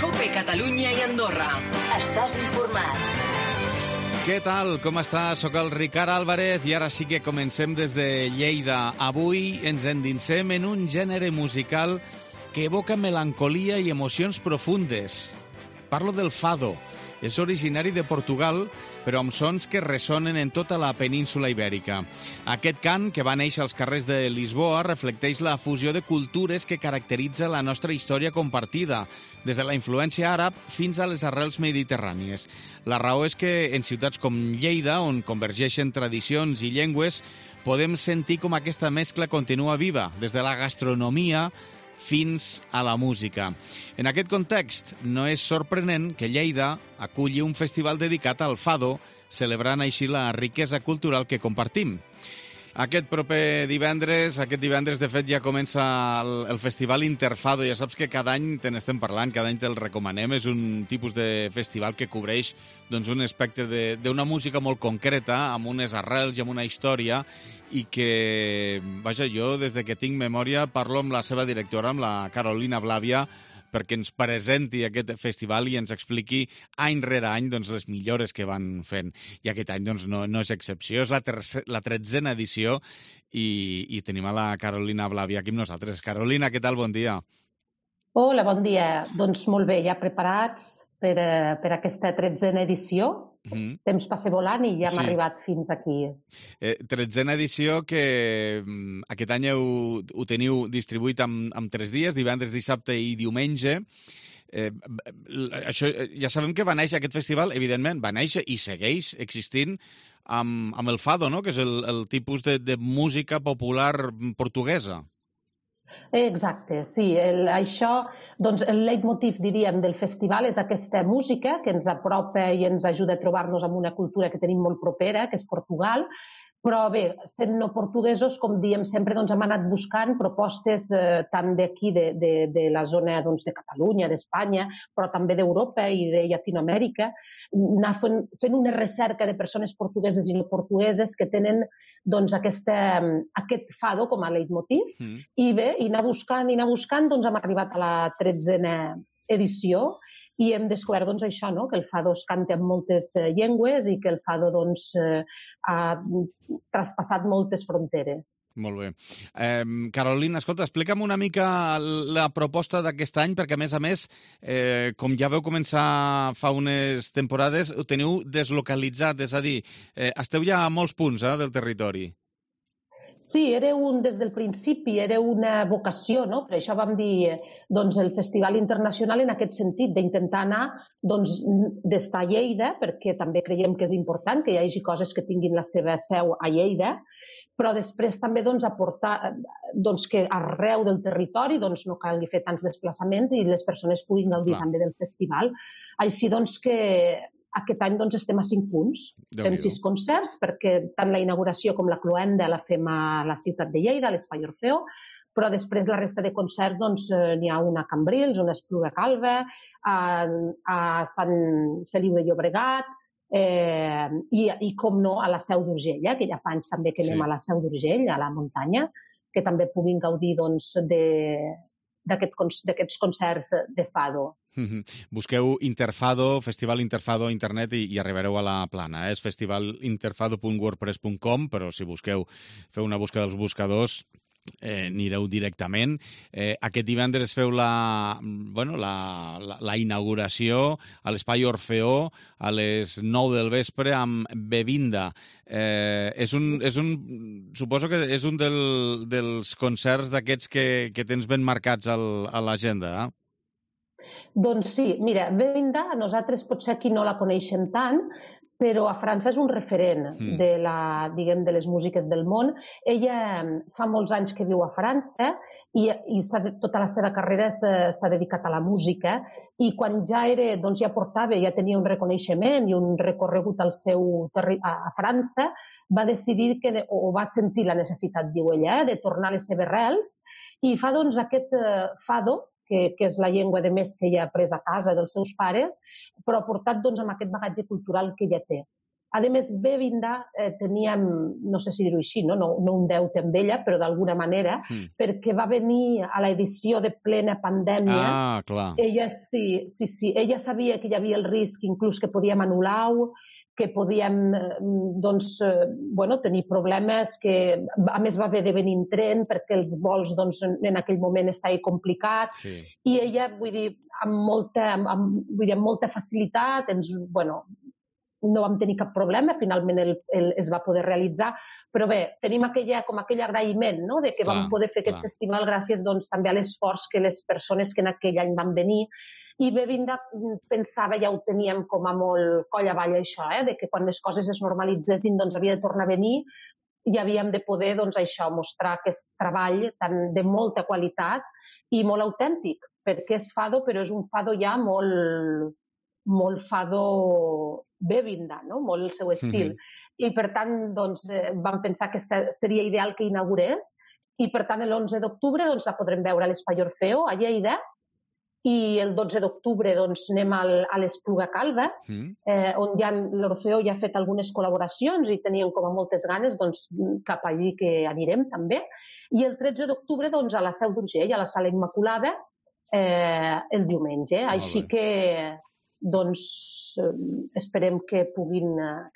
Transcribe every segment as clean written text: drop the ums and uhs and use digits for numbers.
COPE Catalunya i Andorra. Estàs informat. Què tal? Com estàs? Soc el Ricard Álvarez i ara sí que comencem des de Lleida. Avui ens endinsem en un gènere musical que evoca melancolia i emocions profundes. Parlo del fado. És originari de Portugal, però amb sons que ressonen en tota la península ibèrica. Aquest cant, que va néixer als carrers de Lisboa, reflecteix la fusió de cultures que caracteritza la nostra història compartida, des de la influència àrab fins a les arrels mediterrànies. La raó és que en ciutats com Lleida, on convergeixen tradicions i llengües, podem sentir com aquesta mescla continua viva, des de la gastronomia fins a la música. En aquest context, no és sorprenent que Lleida aculli un festival dedicat al fado, celebrant així la riquesa cultural que compartim. Aquest divendres, de fet, ja comença el Festival Interfado. Ja saps que cada any te n'estem parlant, cada any te'l recomanem. És un tipus de festival que cobreix un espectre d'una música molt concreta, amb unes arrels i amb una història, i que, vaja, jo, des de que tinc memòria, parlo amb la seva directora, amb la Carolina Blàvia, perquè ens presenti aquest festival i ens expliqui any rere any les millores que van fent. I aquest any no és excepció, és la 13a edició i tenim a la Carolina Blàvia aquí amb nosaltres. Carolina, què tal? Bon dia. Hola, bon dia. Doncs molt bé, ja preparats per aquesta 13a edició. Temps passa volant i ja hem arribat fins aquí. 13a edició que aquest any ho teniu distribuït amb 3 dies, divendres, dissabte i diumenge. Això, ja sabem que va néixer aquest festival, evidentment, va néixer i segueix existint amb el fado, no? Que és el tipus de música popular portuguesa. Exacte, sí. Això, doncs, el leitmotiv, diríem, del festival és aquesta música que ens apropa i ens ajuda a trobar-nos amb una cultura que tenim molt propera, que és Portugal. Però bé, sent no portuguesos, com diem sempre, hem anat buscant propostes tant d'aquí, de la zona de Catalunya, d'Espanya, però també d'Europa i de Llatinoamèrica, anar fent una recerca de persones portugueses i no portugueses que tenen aquest fado com a leitmotiv. I bé, i anar buscant, hem arribat a la 13a edició i hem descobert això, que el fado es canta en moltes llengües i que el fado ha traspassat moltes fronteres. Molt bé. Carolina, escolta, explica'm una mica la proposta d'aquest any, perquè a més, com ja veu començar fa unes temporades, ho teniu deslocalitzat, és a dir, esteu ja a molts punts del territori. Sí, des del principi era una vocació, no? Per això vam dir el Festival Internacional en aquest sentit, d'intentar anar d'estar a Lleida, perquè també creiem que és important que hi hagi coses que tinguin la seva seu a Lleida, però després també aportar que arreu del territori no calgui fer tants desplaçaments i les persones puguin gaudir també del festival. Així que aquest any estem a 5 punts, fem 6 concerts, perquè tant la inauguració com la cloenda la fem a la ciutat de Lleida, a l'Espai Orfeó, però després la resta de concerts n'hi ha una a Cambrils, una a Espluga Calba, a Sant Feliu de Llobregat i, com no, a la Seu d'Urgell, que ja fa anys també que anem a la Seu d'Urgell, a la muntanya, que també puguin gaudir d'aquests concerts de fado. Busqueu Interfado, Festival Interfado a internet i arribareu a la plana. És festivalinterfado.wordpress.com, però si feu una busca dels buscadors, anireu directament. Aquest divendres feu la inauguració a l'Espai Orfeó a les 9 del vespre amb Bevinda. Suposo que és un dels concerts d'aquests que tens ben marcats a l'agenda, Doncs sí, mira, Bevinda, nosaltres potser aquí no la coneixem tant, però a França és un referent de les músiques del món. Ella fa molts anys que viu a França i tota la seva carrera s'ha dedicat a la música i quan ja tenia un reconeixement i un recorregut a França, va decidir o va sentir la necessitat, diu ella, de tornar a les seves arrels i fa aquest fado, que és la llengua de més que ella ha après a casa dels seus pares, però portat amb aquest bagatge cultural que ella té. A més, Bèvinda teníem, no sé si dir-ho així, no un deute amb ella, però d'alguna manera, perquè va venir a l'edició de plena pandèmia. Ah, clar. Ella sí, ella sabia que hi havia el risc inclús que podíem anul·lar-ho, que podíem tenir problemes, que a més va haver de venir en tren perquè els vols en aquell moment estaven complicats, i ella, vull dir, amb molta facilitat, no vam tenir cap problema, finalment es va poder realitzar, però bé, tenim aquell agraïment, no?, de que vam poder fer aquest festival gràcies també a l'esforç que les persones que en aquell any van venir. I Bèvinda pensava, ja ho teníem com a molt coll avall això, de que quan les coses es normalitzessin havia de tornar a venir i havíem de poder mostrar aquest treball de molta qualitat i molt autèntic, perquè és fado, però és un fado ja molt fado Bèvinda, no? Molt el seu estil. I per tant, vam pensar que seria ideal que inaugurés, i per tant l'11 d'octubre la podrem veure a l'Espai Orfeo, a Lleida, i el 12 d'octubre anem a l'Espluga Calba, on l'Orfeo ja ha fet algunes col·laboracions i tenien com a moltes ganes, cap allí que anirem també. I el 13 d'octubre a la Seu d'Urgell, a la Sala Immaculada, el diumenge. Així que esperem que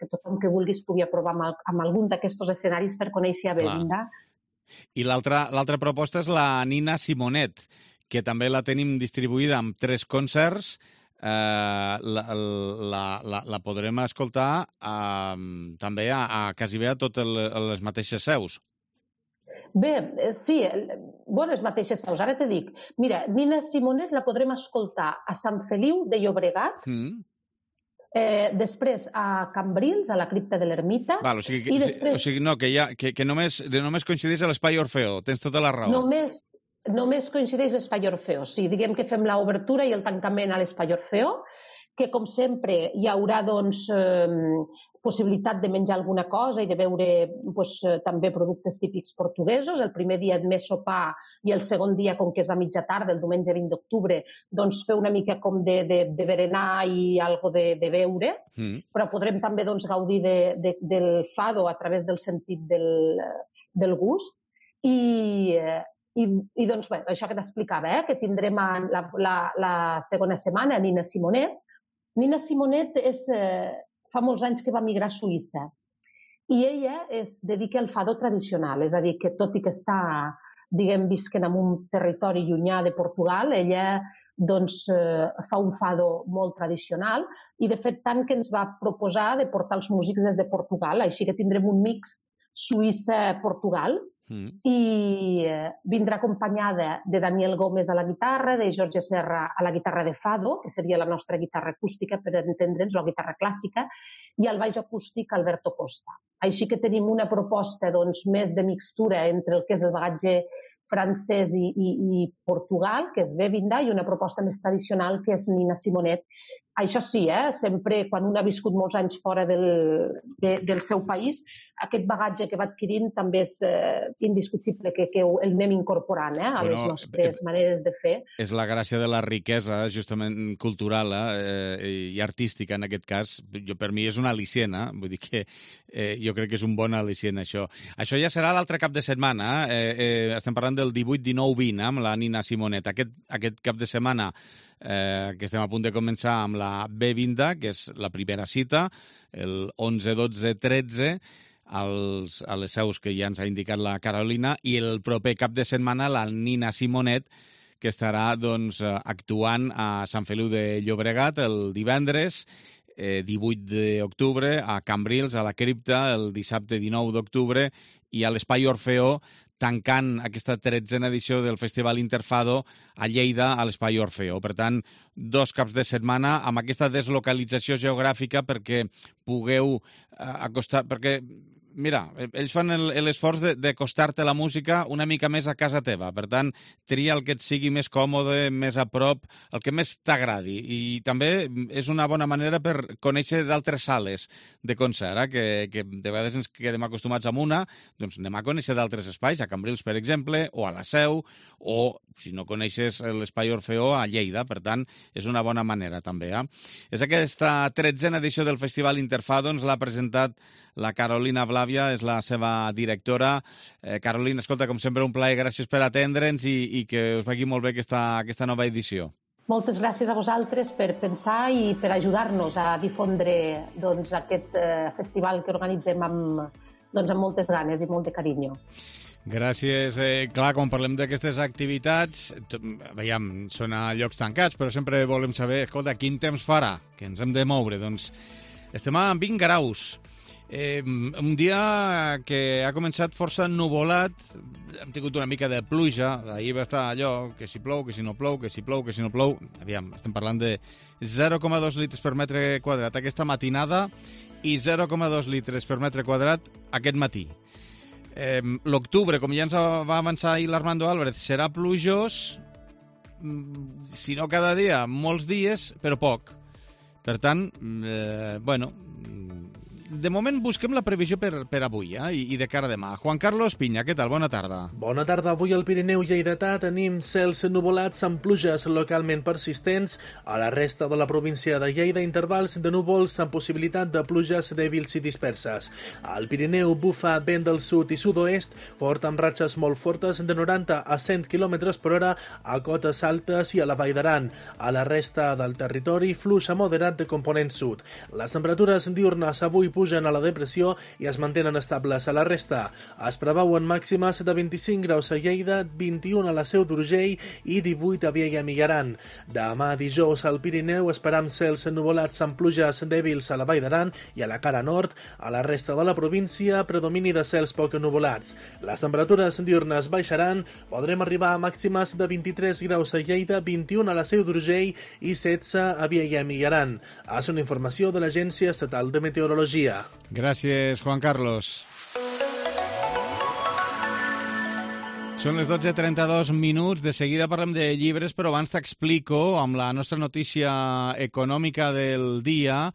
tothom que vulgui es pugui aprovar amb algun d'aquests escenaris per conèixer a Bèvinda. I l'altra proposta és la Nina Simonet, que també la tenim distribuïda amb 3 concerts. La podrem escoltar també a quasi bé a totes les mateixes seus. Bé, sí, les mateixes seus. Ara te dic, mira, Nina Simonet la podrem escoltar a Sant Feliu de Llobregat, després a Cambrils, a la cripta de l'Ermita. O sigui, no, que només coincideix a l'Espai Orfeo, tens tota la raó. Només coincideix l'Espai Orfeo, sí. Diguem que fem l'obertura i el tancament a l'Espai Orfeo, que com sempre hi haurà possibilitat de menjar alguna cosa i de beure també productes típics portuguesos. El primer dia més sopar i el segon dia, com que és a mitja tarda, el diumenge 20 d'octubre, fer una mica com de berenar i algo de beure, però podrem també gaudir del fado a través del sentit del gust. I això que t'explicava, que tindrem la segona setmana Nina Simonet. Nina Simonet fa molts anys que va migrar a Suïssa i ella es dedica al fado tradicional, és a dir, que tot i que està, visquent en un territori llunyà de Portugal, ella fa un fado molt tradicional i, de fet, tant que ens va proposar de portar els músics des de Portugal, així que tindrem un mix Suïssa-Portugal. I vindrà acompanyada de Daniel Gómez a la guitarra, de Jorge Serra a la guitarra de fado, que seria la nostra guitarra acústica, per entendre'ns, la guitarra clàssica, i al baix acústic Alberto Costa. Així que tenim una proposta més de mixtura entre el que és el bagatge francès i Portugal, que és Bèvinda, i una proposta més tradicional, que és Nina Simonet. Això sí, sempre, quan un ha viscut molts anys fora del seu país, aquest bagatge que va adquirint també és indiscutible que el anem incorporant a les nostres maneres de fer. És la gràcia de la riquesa, justament cultural i artística, en aquest cas. Per mi és una al·licient, vull dir que jo crec que és un bon al·licient, això. Això ja serà l'altre cap de setmana. Estem parlant del 18, 19, 20, amb la Nina Simonet. Aquest cap de setmana que estem a punt de començar amb la Bèvinda, que és la primera cita, el 11, 12, 13, a les seus que ja ens ha indicat la Carolina, i el proper cap de setmana la Nina Simonet, que estarà actuant a Sant Feliu de Llobregat el divendres, 18 d'octubre, a Cambrils, a la cripta, el dissabte 19 d'octubre, i a l'Espai Orfeo, tancant aquesta 13a edició del Festival Interfado a Lleida, a l'Espai Orfeo. Per tant, 2 caps de setmana amb aquesta deslocalització geogràfica perquè pugueu acostar... Perquè, mira, ells fan l'esforç d'acostar-te la música una mica més a casa teva. Per tant, tria el que et sigui més còmode, més a prop, el que més t'agradi. I també és una bona manera per conèixer d'altres sales de concert, que de vegades ens quedem acostumats amb una, doncs anem a conèixer d'altres espais, a Cambrils, per exemple, o a la Seu, o si no coneixes l'Espai Orfeó a Lleida, per tant, és una bona manera també. És aquesta 13a edició del Festival Interfadons, l'ha presentat la Carolina Blavia, és la seva directora. Carolina, escolta, com sempre, un plaer, gràcies per atendre'ns i que us vagi molt bé aquesta nova edició. Moltes gràcies a vosaltres per pensar i per ajudar-nos a difondre aquest festival que organitzem amb moltes ganes i molt de carinyo. Gràcies. Clar, quan parlem d'aquestes activitats, veiem, són a llocs tancats, però sempre volem saber, escolta, quin temps farà, que ens hem de moure. Doncs estem a 20 graus. Un dia que ha començat força ennuvolat, hem tingut una mica de pluja, ahir va estar allò, que si plou, que si no plou, que si plou, que si no plou. Aviam, estem parlant de 0,2 litres per metre quadrat aquesta matinada i 0,2 litres per metre quadrat aquest matí. L'octubre, com ja ens va avançar ahir l'Armando Álvarez, serà plujós, si no cada dia, molts dies, però poc. Per tant, de moment busquem la previsió per avui i de cara a demà. Juan Carlos Piña, què tal? Bona tarda. Bona tarda. Avui al Pirineu lleidatà tenim cels nuvolats amb pluges localment persistents. A la resta de la província de Lleida, intervals de núvols amb possibilitat de pluges dèbils i disperses. Al Pirineu bufa vent del sud i sud-oest, fort amb ratxes molt fortes de 90 a 100 km per hora a cotes altes i a la Vall d'Aran. A la resta del territori, flux a moderat de component sud. Les temperatures diurnes avui pugen a la depressió i es mantenen estables a la resta. Es preveuen màximes de 25 graus a Lleida, 21 a la Seu d'Urgell i 18 a Viella i Migjorn. Demà dijous al Pirineu esperam cels nuvolats amb pluges dèbils a la Vall d'Aran i a la cara nord. A la resta de la província, predomini de cels poc nuvolats. Les temperatures diurnes baixaran, podrem arribar a màximes de 23 graus a Lleida, 21 a la Seu d'Urgell i 16 a Viella i Migjorn. És una informació de l'Agència Estatal de Meteorologia. Gràcies, Juan Carlos. Són les 12:32. De seguida parlem de llibres, però abans t'explico, amb la nostra notícia econòmica del dia,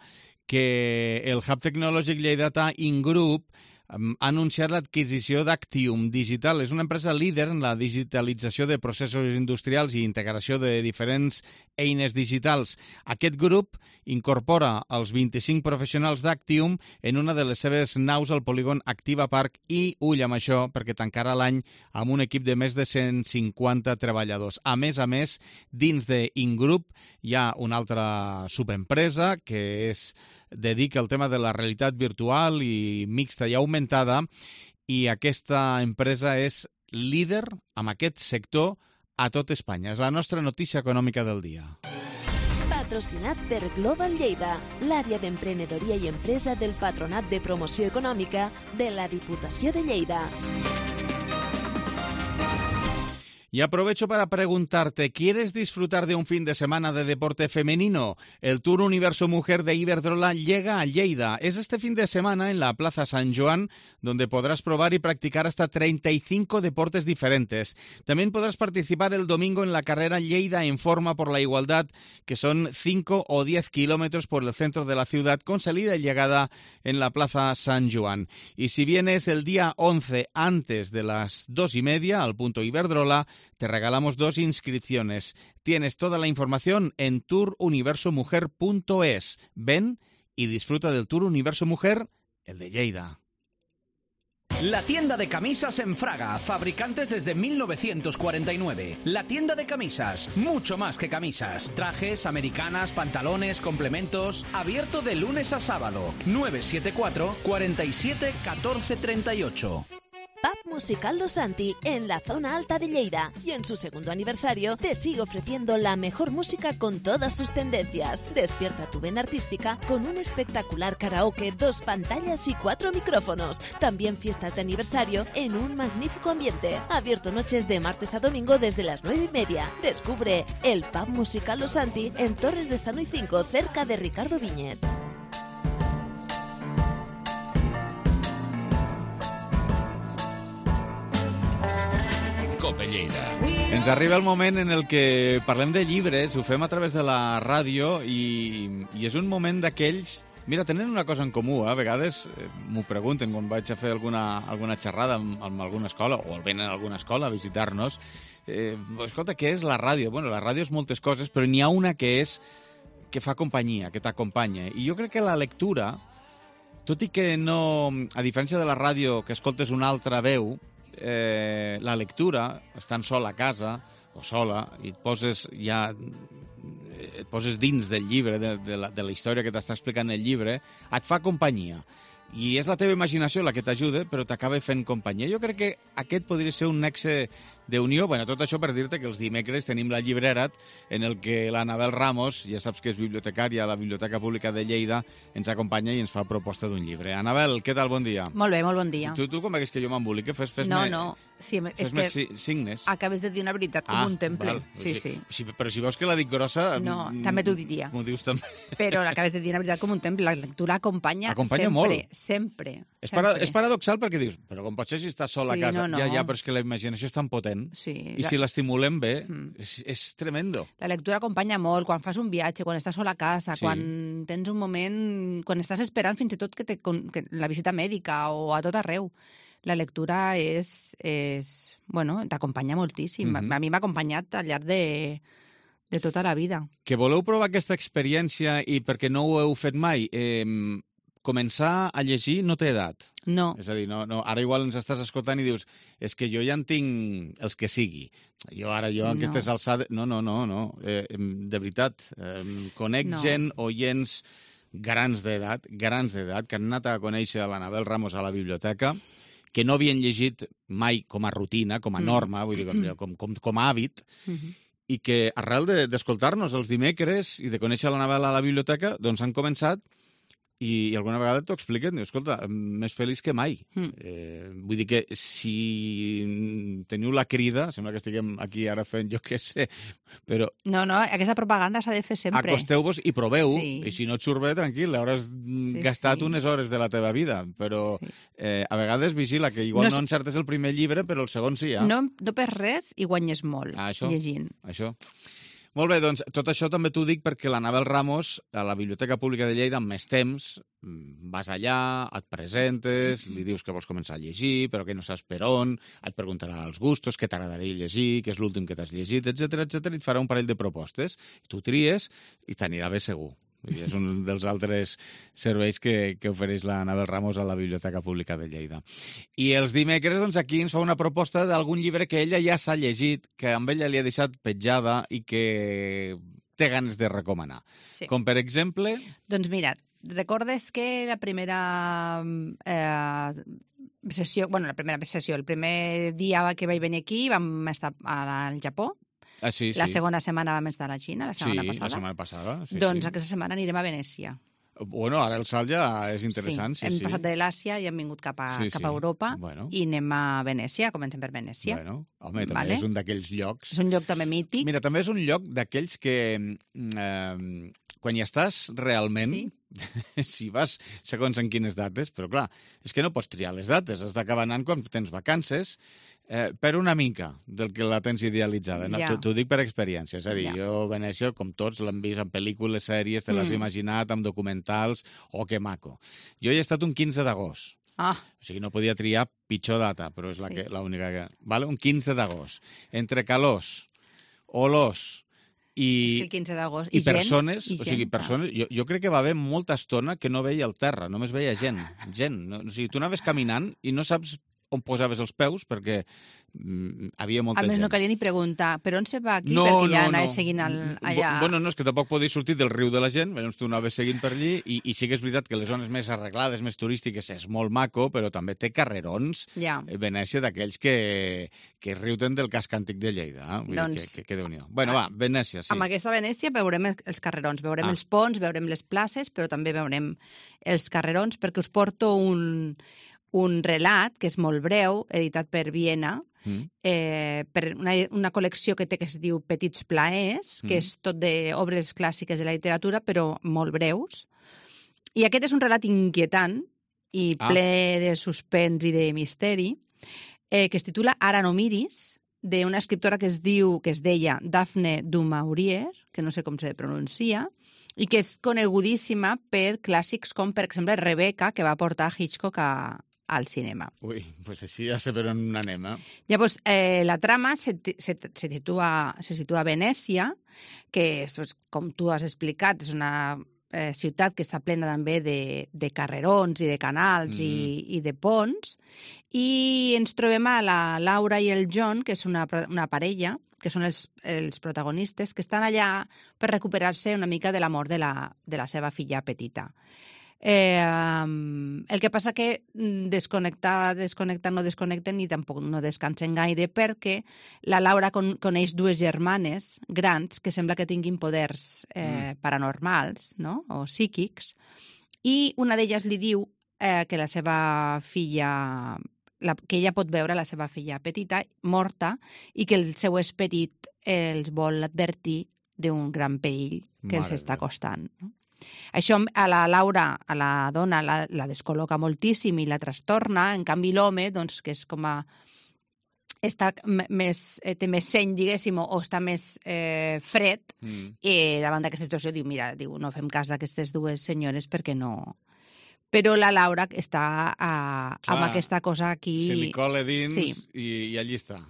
que el Hub Tecnològic Lleidatà Ingroup ha anunciat l'adquisició d'Actium Digital. És una empresa líder en la digitalització de processos industrials i integració de diferents eines digitals. Aquest grup incorpora els 25 professionals d'Actium en una de les seves naus al polígon Activa Park i, ull amb això, perquè tancarà l'any amb un equip de més de 150 treballadors. A més, dins d'Ingroup hi ha una altra subempresa que dedica al tema de la realitat virtual i mixta i augmentada, i aquesta empresa és líder en aquest sector a tot Espanya. És la nostra notícia econòmica del dia. Patrocinat per Global Lleida, l'àrea d'emprenedoria i empresa del Patronat de Promoció Econòmica de la Diputació de Lleida. Y aprovecho para preguntarte, ¿quieres disfrutar de un fin de semana de deporte femenino? El Tour Universo Mujer de Iberdrola llega a Lleida. Es este fin de semana en la Plaza San Joan, donde podrás probar y practicar hasta 35 deportes diferentes. También podrás participar el domingo en la carrera Lleida en Forma por la Igualdad, que son 5 o 10 kilómetros por el centro de la ciudad, con salida y llegada en la Plaza San Joan. Y si vienes el día 11 antes de las 2:30 al punto Iberdrola, te regalamos 2 inscripciones. Tienes toda la información en touruniversomujer.es. Ven y disfruta del Tour Universo Mujer, el de Lleida. La tienda de camisas en Fraga, fabricantes desde 1949. La tienda de camisas, mucho más que camisas. Trajes, americanas, pantalones, complementos. Abierto de lunes a sábado. 974 47 14 38. Pub Musical Los Santi, en la zona alta de Lleida. Y en su segundo aniversario te sigue ofreciendo la mejor música con todas sus tendencias. Despierta tu vena artística con un espectacular karaoke, 2 pantallas y 4 micrófonos. También fiestas de aniversario en un magnífico ambiente. Abierto noches de martes a domingo desde las 9:30. Descubre el Pub Musical Los Santi en Torres de Sano y 5, cerca de Ricardo Viñes. Ens arriba el moment en el que parlem de llibres, ho fem a través de la ràdio i és un moment d'aquells... Mira, tenen una cosa en comú, a vegades m'ho pregunten quan vaig a fer alguna xerrada amb alguna escola o venen a alguna escola a visitar-nos. escolta, què és la ràdio? Bueno, la ràdio és moltes coses, però n'hi ha una que fa companyia, que t'acompanya. I jo crec que la lectura, tot i que no... A diferència de la ràdio, que escoltes una altra veu, la lectura, estant sol a casa o sola, i et poses dins del llibre, de la història que t'està explicant el llibre, et fa companyia. I és la teva imaginació la que t'ajuda, però t'acaba fent companyia. Jo crec que aquest podria ser un nexe d'unió. Bueno, tot això per dir-te que els dimecres tenim la llibrera en el que l'Anabel Ramos, ja saps que és bibliotecària a la Biblioteca Pública de Lleida, ens acompanya i ens fa proposta d'un llibre. Anabel, què tal? Bon dia. Molt bé, molt bon dia. Tu com veus que jo m'embolique? Fes-me... No. Sí, és que signes. acabes de dir una veritat com un temple. Val. Sí. Però si veus que la dic grossa... No, també t'ho diria. M'ho dius també. Però acabes de dir una veritat com un temple. La lectura acompanya sempre. Molt. Sempre. És paradoxal perquè dius, però com pot ser si estàs sol a casa? No. Ja, però és que la imaginació és tan potent. Sí. I si l'estimulem bé, és tremendo. La lectura acompanya molt. Quan fas un viatge, quan estàs sol a casa, quan tens un moment... Quan estàs esperant fins i tot que la visita mèdica o a tot arreu. La lectura t'acompanya moltíssim. A mi m'ha acompanyat al llarg de tota la vida. Que voleu provar aquesta experiència i perquè no ho heu fet mai, començar a llegir no té edat. No. És a dir, no, ara igual ens estàs escoltant i dius és que jo ja en tinc els que sigui. Jo en aquestes alçades... No. De veritat, conec gent, oients grans d'edat, que han anat a conèixer a l'Anabel Ramos a la biblioteca, que no havien llegit mai com a rutina, com a norma, vull dir, com a hàbit, i que arrel d'escoltar-nos els dimecres i de conèixer l'Anabel a la biblioteca, doncs han començat i alguna vegada t'ho expliquen, diu, escolta, més feliç que mai. Vull dir que si teniu la crida, sembla que estiguem aquí ara fent jo què sé, però... No, aquesta propaganda s'ha de fer sempre. Acosteu-vos i proveu, i si no et surt bé, tranquil, hauràs gastat unes hores de la teva vida, però a vegades vigila, que igual no encertes el primer llibre, però el segon sí, ja. No per res i guanyes molt llegint. Això. Molt bé, doncs tot això també t'ho dic perquè l'Anabel Ramos, a la Biblioteca Pública de Lleida, amb més temps, vas allà, et presentes, li dius que vols començar a llegir, però que no saps per on, et preguntarà els gustos, què t'agradaria llegir, què és l'últim que t'has llegit, etc, i et farà un parell de propostes. Tu tries i t'anirà bé segur. És un dels altres serveis que ofereix l'Anabel Ramos a la Biblioteca Pública de Lleida. I els dimecres, doncs, aquí ens fa una proposta d'algun llibre que ella ja s'ha llegit, que amb ella li ha deixat petjada i que té ganes de recomanar. Sí. Com, per exemple... Doncs mira, recordes que la primera sessió, el primer dia que vaig venir aquí vam estar al Japó. Sí. La segona setmana vam estar a la Xina, la setmana passada. La setmana passada. Doncs aquesta setmana anirem a Venècia. Bueno, ara el salt ja és interessant. Hem passat de l'Àsia i hem vingut cap a Europa i anem a Venècia, comencem per Venècia. Bueno, home, també és un d'aquells llocs... És un lloc també mític. Mira, també és un lloc d'aquells que quan hi estàs realment, si vas segons en quines dates, però clar, és que no pots triar les dates, has d'acabar anant quan tens vacances, per una mica del que la tens idealitzada. No? T'ho dic per experiència. És a dir, jo Venècia, com tots, l'hem vist en pel·lícules, sèries, te l'has imaginat, amb documentals, que maco. Jo hi he estat un 15 d'agost. O sigui, no podia triar pitjor data, però és l'única que... Vale? Un 15 d'agost. Entre calors, olors i el 15 d'agost. I persones, o sigui, persones... Jo crec que va haver molta estona que no veia el terra, només veia gent. O sigui, tu anaves caminant i no saps on posaves els peus, perquè havia molta gent. A més, no calia ni preguntar, per on se va aquí? Perquè ja anaves seguint allà... Bueno, no, és que tampoc podies sortir del riu de la gent, llavors tu anaves seguint per allí, i sí que és veritat que les zones més arreglades, més turístiques, és molt maco, però també té carrerons, Venècia, d'aquells que riuten del casc antic de Lleida. Que Déu-n'hi-do. Bueno, va, Venècia, sí. Amb aquesta Venècia veurem els carrerons, veurem els ponts, veurem les places, però també veurem els carrerons, perquè us porto un relat, que és molt breu, editat per Viena, per una col·lecció que té que es diu Petits plaers, que és tot d'obres clàssiques de la literatura, però molt breus. I aquest és un relat inquietant i ple de suspens i de misteri, que es titula Ara no miris, d'una escriptora que es deia Daphne du Maurier, que no sé com se pronuncia, i que és conegudíssima per clàssics com, per exemple, Rebecca, que va portar Hitchcock a al cinema. Ui, doncs així ja sé per on anem, Llavors, la trama se situa a Venècia, que, com tu has explicat, és una ciutat que està plena també de carrerons i de canals i de ponts, i ens trobem a la Laura i el John, que és una parella, que són els protagonistes, que estan allà per recuperar-se una mica de la mort de la seva filla petita. El que passa que desconnecten, no desconnecten i tampoc no descansen gaire, perquè la Laura coneix dues germanes grans que sembla que tinguin poders paranormals, no? O psíquics, i una d'elles li diu que la seva filla, que ella pot veure la seva filla petita morta i que el seu esperit els vol advertir d'un gran perill que els està costant, no? Això a la Laura, a la dona, la descol·loca moltíssim i la trastorna. En canvi, l'home, doncs, que és com té més seny, diguéssim, o està més fred, davant d'aquesta situació diu, mira, no fem cas d'aquestes dues senyores perquè no... Però la Laura està amb aquesta cosa aquí... Se li cola dins i allí està.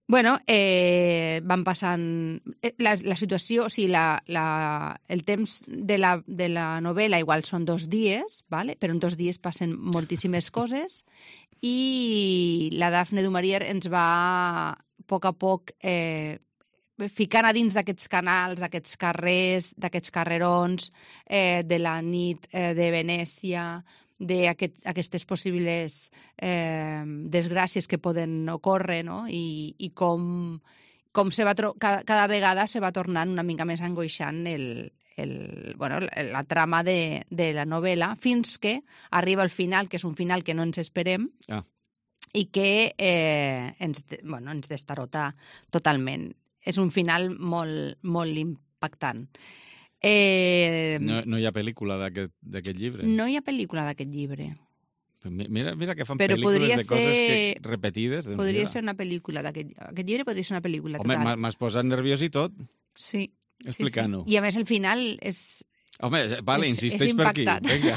Bueno, van passant... La situació, o sigui, el temps de la novel·la igual són 2 dies, ¿vale? Però en 2 dies passen moltíssimes coses i la Dafne du Maurier ens va a poc ficant a dins d'aquests canals, d'aquests carrers, d'aquests carrerons, de la nit de Venècia, d'aquestes possibles desgràcies que poden ocórrer, no? I com cada vegada se va tornant una mica més angoixant la trama de la novel·la, fins que arriba al final, que és un final que no ens esperem, i que ens destarota totalment. És un final molt, molt impactant. No hi ha pel·lícula d'aquest llibre? No hi ha pel·lícula d'aquest llibre. Mira que fan pel·lícules de coses repetides. Podria ser una pel·lícula d'aquest llibre, podria ser una pel·lícula. Home, m'has posat nerviós i tot. Sí. Explica-n'ho. I a més el final és... Home, vale, insisteix per aquí. Vinga.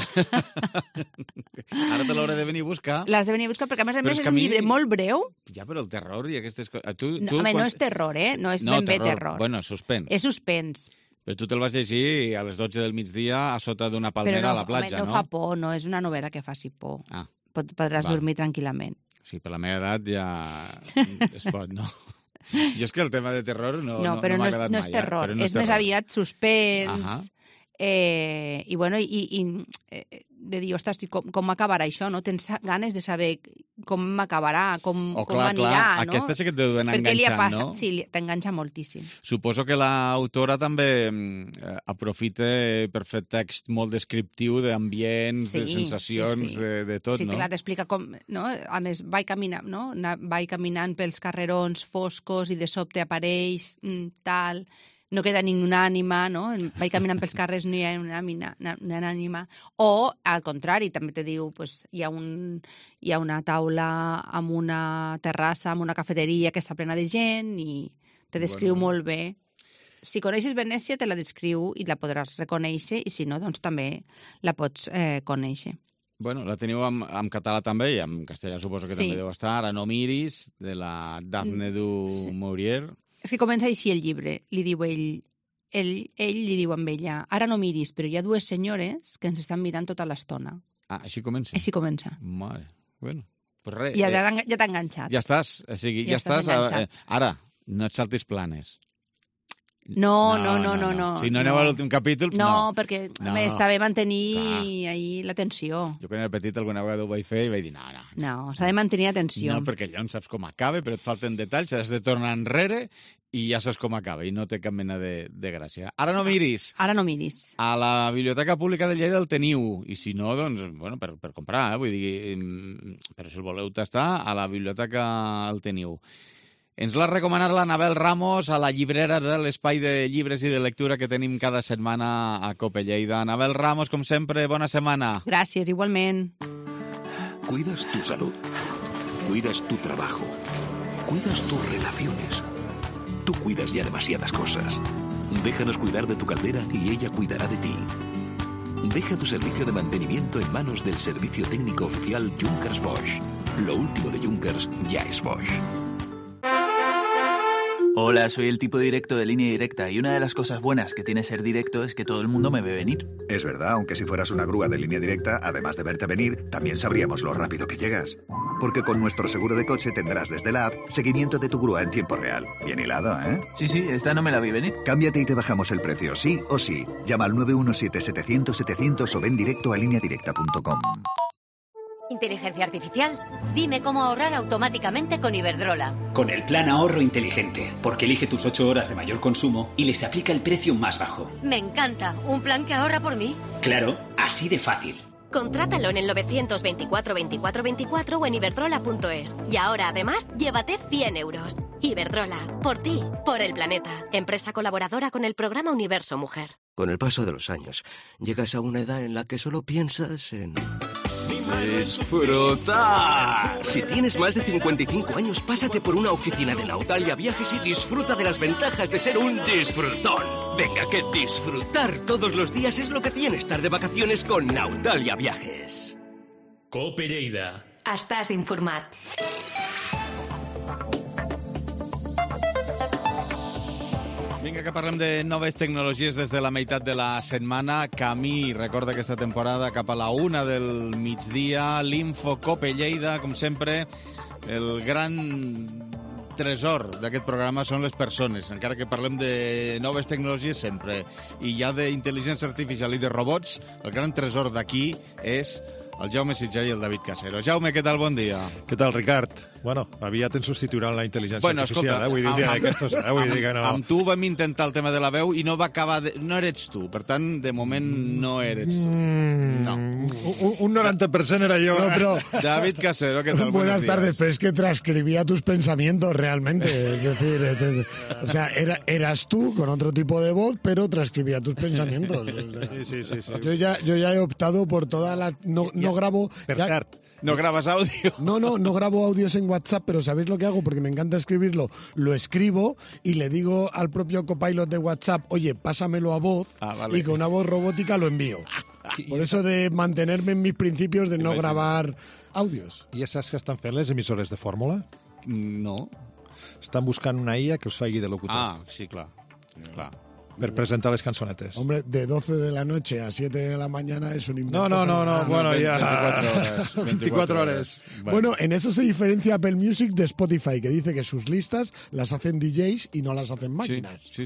Ara te l'hauré de venir a buscar. L'has de venir a buscar perquè a més és un llibre molt breu. Ja, però el terror i aquestes coses... No és terror, no és ben bé terror. Bueno, suspens. És suspens. Però tu te'l vas llegir a les 12 del migdia a sota d'una palmera a la platja, no? No fa por, no és una novel·la que faci por. Podràs dormir tranquil·lament. Sí, per la meva edat ja es pot, no? Jo és que el tema de terror no m'ha agradat mai. No és terror, és més aviat suspens... I de dir, ostres, com acabarà això, no? Tens ganes de saber com acabarà, com anirà, no? Aquesta sí que et deu anar enganxant, no? Sí, t'enganxa moltíssim. Suposo que l'autora també aprofita per fer text molt descriptiu d'ambients, de sensacions, de tot, no? Sí, clar, t'explica com... No? A més, vaig caminant pels carrerons foscos i de sobte apareix tal... No queda ninguna ànima, no? Vaig caminant pels carrers, no hi ha una ànima. O, al contrari, també te diu, pues, hi ha una taula amb una terrassa, amb una cafeteria que està plena de gent i te descriu molt bé. Si coneixes Venècia, te la descriu i la podràs reconèixer, i si no, doncs també la pots conèixer. Bueno, la teniu en català també, i en castellà suposo que també deu estar. Ara no miris, de la Dafne du Maurier. És que comença així el llibre, li diu ell li diu amb ella, ara no miris, però hi ha 2 senyores que ens estan mirant tota l'estona. Ah, així comença? Així comença. Mare, bueno, pues res. Ja t'ha enganxat. Ja estàs, o sigui, ja estàs. Ara, no et saltis planes. No. Si no aneu a l'últim capítol, no. No, perquè està bé mantenir ahí la tensió. Jo quan era petit alguna vegada ho vaig fer i vaig dir, no. No, s'ha de mantenir la tensió. No, perquè allò no saps com acaba, però et falten detalls, has de tornar enrere i ja saps com acaba, i no té cap mena de gràcia. Ara no miris. Ara no miris. A la Biblioteca Pública de Lleida el teniu, i si no, doncs, bueno, per comprar, vull dir, però si el voleu tastar, a la biblioteca el teniu. Ens l'ha recomanat l'Anabel Ramos a la llibrera de l'Espai de Llibres i de Lectura que tenim cada setmana a Cope Lleida. Anabel Ramos, com sempre, bona setmana. Gràcies, igualment. Cuidas tu salud, cuidas tu trabajo, cuidas tus relaciones. Tú cuidas ya demasiadas cosas. Déjanos cuidar de tu caldera y ella cuidará de ti. Deja tu servicio de mantenimiento en manos del servicio técnico oficial Junkers Bosch. Lo último de Junkers ya es Bosch. Hola, soy el tipo directo de Línea Directa y una de las cosas buenas que tiene ser directo es que todo el mundo me ve venir. Es verdad, aunque si fueras una grúa de Línea Directa, además de verte venir, también sabríamos lo rápido que llegas. Porque con nuestro seguro de coche tendrás desde la app seguimiento de tu grúa en tiempo real. Bien hilado, ¿eh? Sí, esta no me la vi venir. Cámbiate y te bajamos el precio, sí o sí. Llama al 917-700-700 o ven directo a lineadirecta.com. Inteligencia artificial. Dime cómo ahorrar automáticamente con Iberdrola. Con el plan ahorro inteligente, porque elige tus 8 horas de mayor consumo y les aplica el precio más bajo. Me encanta. ¿Un plan que ahorra por mí? Claro, así de fácil. Contrátalo en el 924 24 24 o en iberdrola.es. Y ahora, además, llévate 100 euros. Iberdrola, por ti, por el planeta. Empresa colaboradora con el programa Universo Mujer. Con el paso de los años, llegas a una edad en la que solo piensas en... ¡disfrutar! Si tienes más de 55 años, pásate por una oficina de Nautalia Viajes y disfruta de las ventajas de ser un disfrutón. Venga, que disfrutar todos los días es lo que tiene estar de vacaciones con Nautalia Viajes. Cope Lleida. Estàs informat. Vinga, que parlem de noves tecnologies des de la meitat de la setmana. Camí, recorda aquesta temporada, cap a la 1 del migdia. L'Info Cope Lleida, com sempre, el gran tresor d'aquest programa són les persones, encara que parlem de noves tecnologies sempre. I ja d'intel·ligència artificial i de robots, el gran tresor d'aquí és el Jaume Sitjar i el David Casero. Jaume, què tal? Bon dia. Què tal, Ricard? Bueno, aviat ens substituiran la intel·ligència artificial, vull dir que no. Amb tu vam intentar el tema de la veu i no va acabar... No eres tu, per tant, de moment no eres tu. No. Un 90% era yo. No, pero... David Casero, ¿qué tal? Buenas tardes, pero es que transcribía tus pensamientos realmente. Es decir, o sea, eras tú con otro tipo de voz, pero transcribía tus pensamientos. Sí. Yo ya he optado por toda la... No grabo... ¿No grabas audio? No grabo audios en WhatsApp, pero ¿sabéis lo que hago? Porque me encanta escribirlo. Lo escribo y le digo al propio copilot de WhatsApp, oye, pásamelo a voz, vale. Y con una voz robótica lo envío. Por eso de mantenerme en mis principios de no grabar audios. I ja saps que estan fent les emissores de fórmula? No. Estan buscant una IA que us faci de locutor. Ah, sí, clar. Per presentar les cançonetes. Hombre, de 12 de la noche a 7 de la mañana es un invento. No, bueno, ya... 24 horas. Bueno, en eso se diferencia Apple Music de Spotify, que dice que sus listas las hacen DJs y no las hacen máquinas. Sí.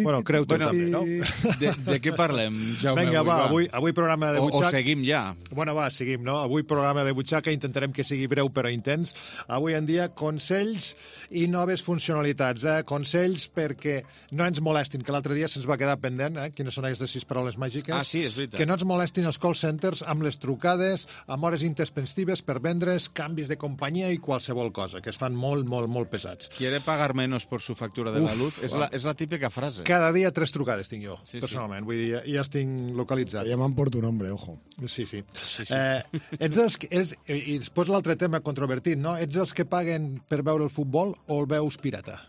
Bueno, creu-te també, no? De què parlem, Jaume? Vinga, avui programa de butxaca... O seguim ja. Bueno, seguim, no? Avui programa de butxaca, intentarem que sigui breu però intens. Avui en dia, consells i noves funcionalitats. Consells perquè no ens molestin, que l'altre dia se'ns va quedar pendent, quines són aquestes 6 paraules màgiques. Ah, sí, és veritat. Que no ens molestin els call centers amb les trucades, amb hores intempestives per vendre's canvis de companyia i qualsevol cosa, que es fan molt pesats. ¿Quiere pagar menos por su factura de la luz? És la típica frase. Cada dia 3 trucades tinc jo, personalment. Vull dir, ja els tinc localitzats. Te llaman por tu nombre, ojo. Sí. Ets els que... I després l'altre tema controvertit, no? Ets els que paguen per veure el futbol o el veus pirata?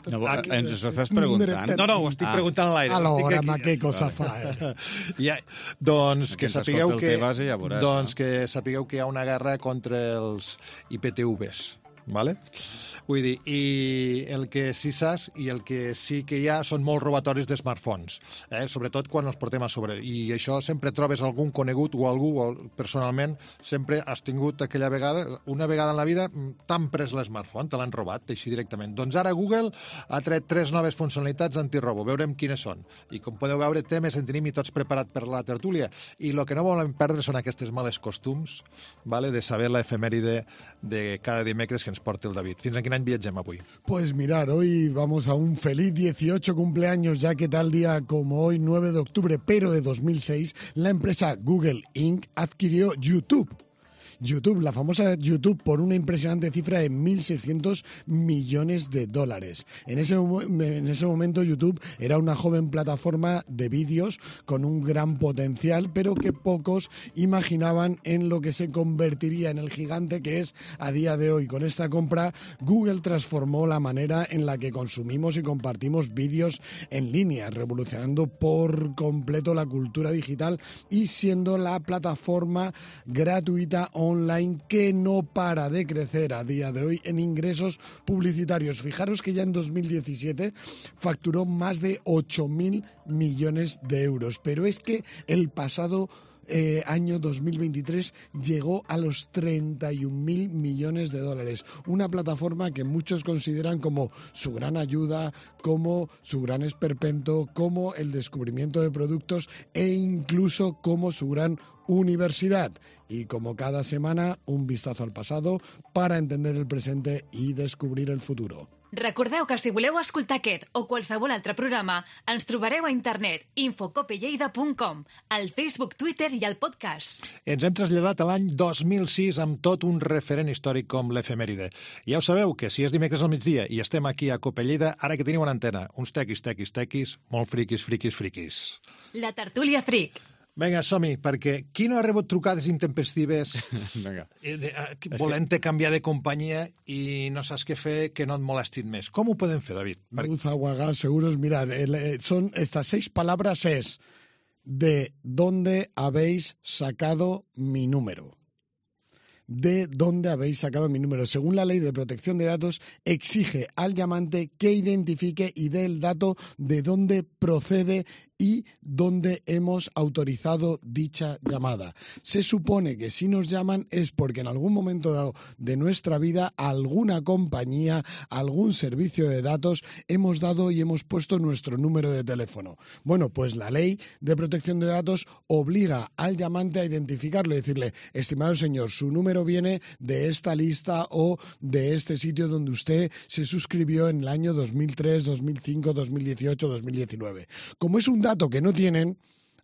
No, ens ho estàs preguntant? No, ho estic preguntant a l'aire. Alhora, ma què cosa fa, Doncs que sapigueu que hi ha una guerra contra els IPTVs, ¿vale? Vull dir, i el que sí saps i el que sí que hi ha són molts robatoris de smartphones, sobretot quan els portem a sobre. I això sempre trobes algun conegut o algú, o personalment, sempre has tingut aquella vegada, una vegada en la vida, t'han pres l'smartphone, te l'han robat, així directament. Doncs ara Google ha tret 3 noves funcionalitats antirobo. Veurem quines són. I com podeu veure, temes en tenim i tots preparat per la tertúlia. I el que no volem perdre són aquestes males costums, de saber l'efemèride de cada dimecres que ens porta el David. Fins a quin any viatgem avui? Pues mirar, hoy vamos a un feliz 18 cumpleaños, ya que tal día como hoy, 9 de octubre, pero de 2006, la empresa Google Inc. adquirió YouTube. YouTube, la famosa YouTube, por una impresionante cifra de 1.600 millones de dólares. En ese momento YouTube era una joven plataforma de vídeos con un gran potencial, pero que pocos imaginaban en lo que se convertiría en el gigante que es a día de hoy. Con esta compra, Google transformó la manera en la que consumimos y compartimos vídeos en línea, revolucionando por completo la cultura digital y siendo la plataforma gratuita online que no para de crecer a día de hoy en ingresos publicitarios. Fijaros que ya en 2017 facturó más de 8.000 millones de euros, pero es que el pasado año 2023 llegó a los 31.000 millones de dólares. Una plataforma que muchos consideran como su gran ayuda, como su gran esperpento, como el descubrimiento de productos e incluso como su gran universidad. Y como cada semana, un vistazo al pasado para entender el presente i descobrir el futuro. Recordeu que si voleu escoltar aquest o qualsevol altre programa, ens trobareu a internet infocopelleida.com, al Facebook, Twitter i al podcast. Ens hem traslladat a l'any 2006 amb tot un referent històric com l'efemèride. Ja ho sabeu, que si és dimecres al migdia i estem aquí a Copelleida, ara que teniu una antena, uns tequis, molt friquis. La tertúlia fric. Vinga, som-hi, perquè qui no ha rebut trucades intempestives volent-te canviar de companyia i no saps què fer, que no et molestin més? Com ho podem fer, David? Luz, agua, gas, seguros. Mirad, son estas 6 palabras es ¿de dónde habéis sacado mi número? ¿De dónde habéis sacado mi número? Según la Ley de Protección de Datos, exige al llamante que identifique y dé el dato de dónde procede y dónde hemos autorizado dicha llamada. Se supone que si nos llaman es porque en algún momento dado de nuestra vida alguna compañía, algún servicio de datos hemos dado y hemos puesto nuestro número de teléfono. Bueno, pues la Ley de Protección de Datos obliga al llamante a identificarlo y decirle, estimado señor, su número viene de esta lista o de este sitio donde usted se suscribió en el año 2003, 2005, 2018, 2019. Como es un dato que no tienen,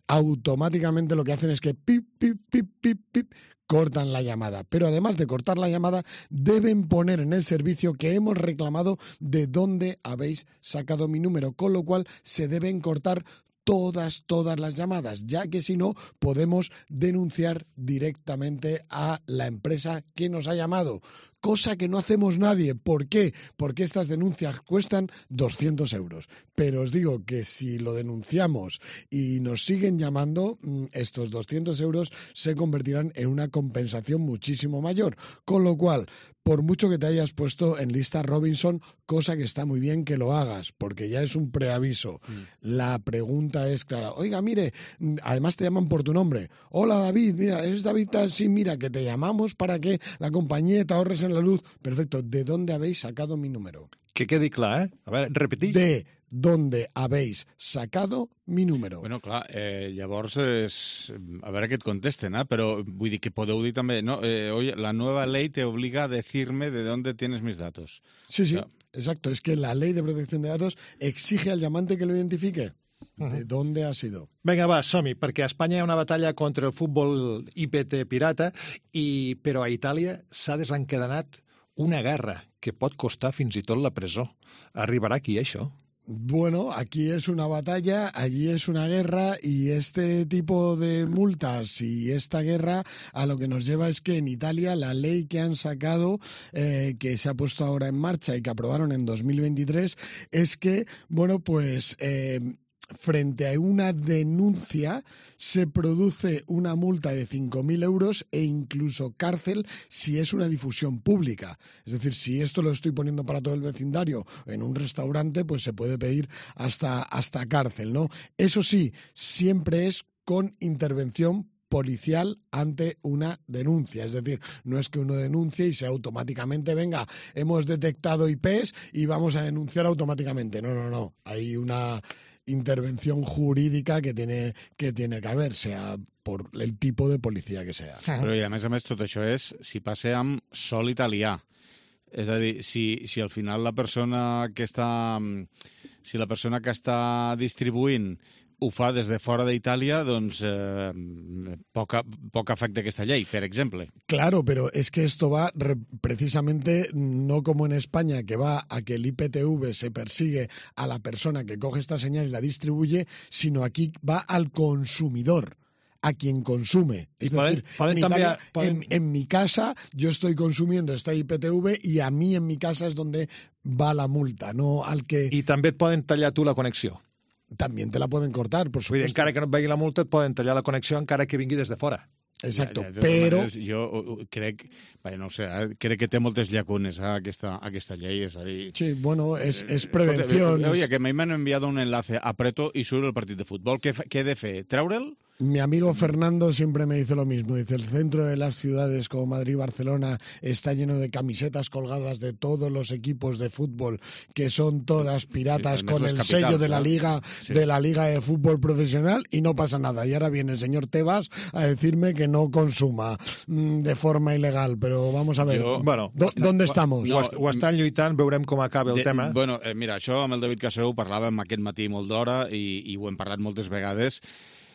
automáticamente lo que hacen es que pip, pip, pip, pip, pip, cortan la llamada. Pero además de cortar la llamada, deben poner en el servicio que hemos reclamado de dónde habéis sacado mi número, con lo cual se deben cortar todas las llamadas, ya que si no podemos denunciar directamente a la empresa que nos ha llamado. Cosa que no hacemos nadie. ¿Por qué? Porque estas denuncias cuestan 200 euros. Pero os digo que si lo denunciamos y nos siguen llamando, estos 200 euros se convertirán en una compensación muchísimo mayor. Con lo cual, por mucho que te hayas puesto en lista Robinson, cosa que está muy bien que lo hagas, porque ya es un preaviso. La pregunta es clara. Oiga, mire, además te llaman por tu nombre. Hola, David, mira, ¿eres David? Sí, mira, que te llamamos para que la compañía te ahorres en la luz. Perfecto. ¿De dónde habéis sacado mi número? Que quedi clar, A veure, repetís. De dónde habéis sacado mi número. Bueno, clar, llavors a veure què et contesten, però vull dir que podeu dir també, no, oye, la nueva ley te obliga a decirme de dónde tienes mis datos. Sí, sí, exacto. Es que la Ley de Protección de Datos exige al llamante que lo identifique. ¿De dónde ha sido? Vinga, va, som-hi, perquè a Espanya hi ha una batalla contra el futbol IPT pirata, però a Itàlia s'ha desencadenat una guerra que pot costar fins i tot la presó. Arribarà aquí, això? Bueno, aquí es una batalla, allí es una guerra y este tipo de multas y esta guerra a lo que nos lleva es que en Italia la ley que han sacado, que se ha puesto ahora en marcha y que aprobaron en 2023, es que, bueno, pues frente a una denuncia se produce una multa de 5.000 euros e incluso cárcel si es una difusión pública. Es decir, si esto lo estoy poniendo para todo el vecindario en un restaurante, pues se puede pedir hasta cárcel, ¿no? Eso sí, siempre es con intervención policial ante una denuncia. Es decir, no es que uno denuncie y sea automáticamente, venga, hemos detectado IPs y vamos a denunciar automáticamente. No. Hay una intervención jurídica que tiene que haber, sea por el tipo de policía que sea. Però i a més tot això és si passa amb sol italià. És a dir, si al final la persona que està si la persona que està distribuint ho fa des de fora d'Itàlia, doncs poc afecta aquesta llei, per exemple. Claro, pero es que esto va precisamente no como en España, que va a que el IPTV se persigue a la persona que coge esta señal y la distribuye, sino aquí va al consumidor, a quien consume. Es decir, en mi casa yo estoy consumiendo esta IPTV y a mí en mi casa es donde va la multa, no al que... I també et poden tallar tu la connexió. También te la pueden cortar, por supuesto. Encara que no et vegi la multa, et poden tallar la connexió encara que vingui des de fora. Exacto, però... Jo crec, no sé, crec que té moltes llacunes aquesta llei, és a dir... Sí, bueno, és prevenció. Oye, que m'han enviat un enlace, apreto i surt el partit de futbol. Què he de fer? Treure'l? Mi amigo Fernando siempre me dice lo mismo. Dice, el centro de las ciudades como Madrid y Barcelona está lleno de camisetas colgadas de todos los equipos de fútbol, que son todas piratas, con el sello de la Liga de Fútbol Profesional, y no pasa nada. Y ahora viene el señor Tebas a decirme que no consuma de forma ilegal. Pero vamos a ver, ¿dónde estamos? Ho estan lluitant, veurem com acaba el tema. Bueno, mira, això amb el David Casero ho parlàvem aquest matí molt d'hora i ho hem parlat moltes vegades.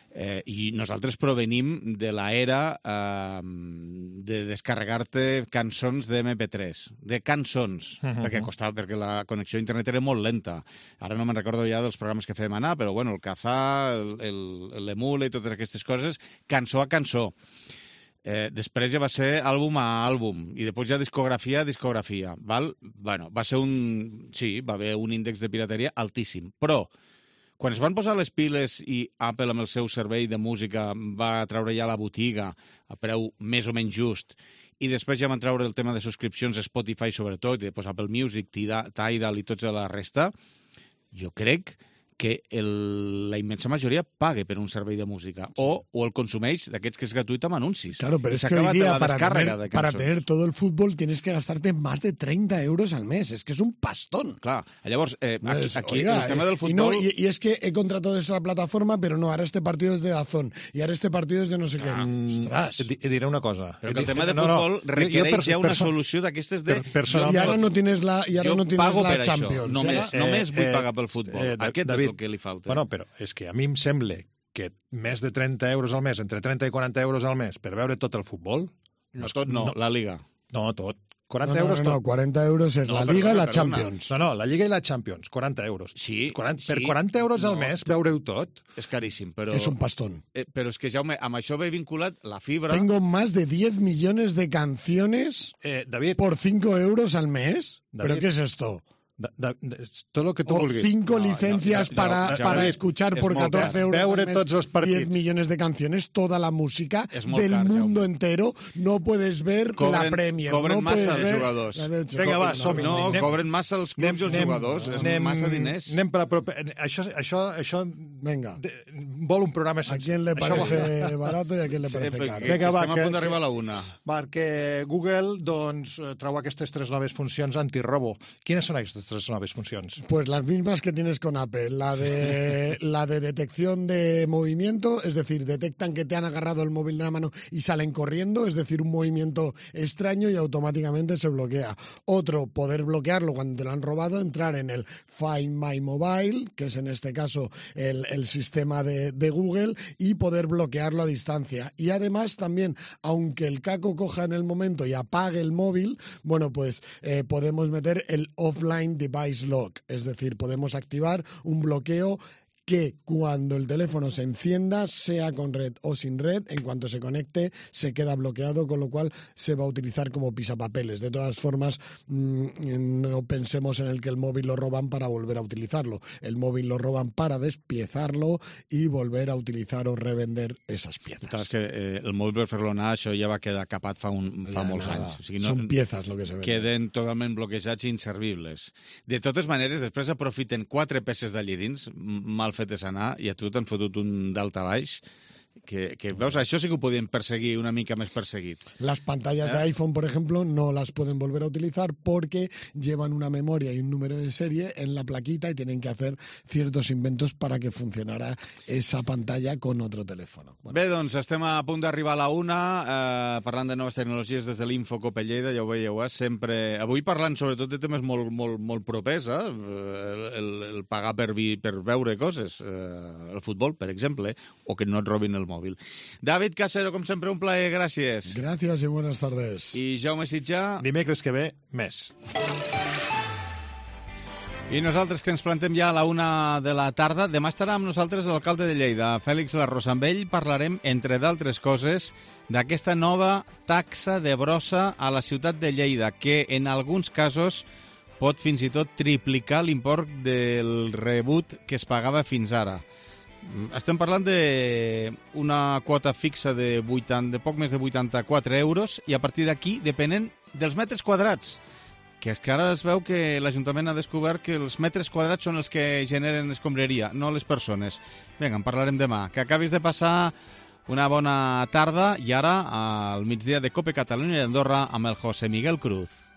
I nosaltres provenim de l'era de descarregar-te cançons de MP3, de cançons, perquè la connexió a internet era molt lenta. Ara no me'n recordo ja dels programes que fèiem anar, però bueno, el Kazaa, l'Emule i totes aquestes coses, cançó a cançó. Després ja va ser àlbum a àlbum i després ja discografia a discografia. Bueno, va ser va haver un índex de pirateria altíssim, però quan es van posar les piles i Apple amb el seu servei de música va treure ja la botiga a preu més o menys just i després ja van treure el tema de subscripcions a Spotify sobretot, i després Apple Music, Tidal i tota la resta, jo crec que la immensa majoria pague per un servei de música o el consumeix d'aquests que és gratuït amb anuncis. Claro, pero es que hoy día para tener todo el fútbol tienes que gastarte más de 30 euros al mes. Es que es un pastón. Clar, llavors, aquí el tema del futbol... Y es que he contratado esta plataforma, pero no, ahora este partido es de DAZN y ahora este partido es de no sé qué. Ostras. Et diré una cosa. Però que el tema de futbol requereix ja una solució d'aquestes de... I ara no tienes la Champions. Només vull pagar pel futbol. Aquest és el que li falta. Bueno, però és que a mi em sembla que més de 30 euros al mes, entre 30 i 40 euros al mes, per veure tot el futbol... No, tot no, la Liga. No, tot. 40 euros tot. No, 40 euros és la Liga i la Champions. No, la Liga i la Champions, 40 euros. Sí. Per 40 euros al mes, veure-ho tot... És caríssim, però... És un pastón. Però és que, Jaume, amb això ve vinculat la fibra... Tengo más de 10 millones de canciones por 5 euros al mes. ¿Pero qué es esto? Todo lo que tú vulguis. 5 licencias para escuchar por 14 euros veure al mes, tots els partits. 10 millones de canciones, toda la música del mundo entero. No puedes ver la Premier. Cobren massa els jugadors. Vinga, va, som-hi. No, cobren massa els clubs i els jugadors. És massa diners. Anem per a prop. Això venga. Vol un programa sencer. A quién le parece barato i a quién le parece caro. Vinga, va, estem a punt d'arribar a la 1. Perquè Google treu aquestes 3 noves funcions antirrobo. Quines són aquestes 3 noves funcions? Pues las mismas que tienes con Apple. La de detección de movimiento, es decir, detectan que te han agarrado el móvil de la mano y salen corriendo, es decir, un movimiento extraño y automáticamente se bloquea. Otro, poder bloquearlo cuando te lo han robado, entrar en el Find My Mobile, que es en este caso el sistema de Google, y poder bloquearlo a distancia. Y además también, aunque el caco coja en el momento y apague el móvil, bueno, pues podemos meter el Offline Device Lock, es decir, podemos activar un bloqueo que cuando el teléfono se encienda, sea con red o sin red, en cuanto se conecte se queda bloqueado, con lo cual se va a utilizar como pisapapeles. De todas formas, no pensemos en el que el móvil lo roban para volver a utilizarlo. El móvil lo roban para despiezarlo i volver a utilizar o revender esas piezas. Clar, és que el móvil per fer-lo anar, això ja va quedar capat fa molts anys. O sigui, Són piezas lo que se ven. Queden totalment bloquejats i inservibles. De totes maneres, després aprofiten 4 peces d'allí dins, mal fetes anar, i a tu t'han fotut un daltabaix Que veus, això sí que ho podien perseguir una mica més perseguit. Las pantallas de iPhone, por ejemplo, no las pueden volver a utilizar porque llevan una memoria y un número de serie en la plaquita y tienen que hacer ciertos inventos para que funcionara esa pantalla con otro teléfono. Bueno. Bé, doncs estem a punt d'arribar a la 1, parlant de noves tecnologies des de l'Infocop Lleida, ja ho veieu, sempre... Avui parlant sobretot de temes molt propers, el pagar per veure coses, el futbol, per exemple, o que no et robin el mòbil. David Casero, com sempre, un plaer, gràcies. Gràcies i buenas tardes. I Jaume Sitjà... Dimecres que ve, més. I nosaltres que ens plantem ja a la 1 de la tarda. Demà estarà amb nosaltres l'alcalde de Lleida, Fèlix Larrosa. Amb ell parlarem, entre d'altres coses, d'aquesta nova taxa de brossa a la ciutat de Lleida, que en alguns casos pot fins i tot triplicar l'import del rebut que es pagava fins ara. Estem parlant d'una quota fixa de poc més de 84 euros i a partir d'aquí depenent dels metres quadrats, que és que ara es veu que l'Ajuntament ha descobert que els metres quadrats són els que generen escombraria, no les persones. Vinga, en parlarem demà. Que acabis de passar una bona tarda i ara al migdia de Cope Catalunya i Andorra amb el José Miguel Cruz.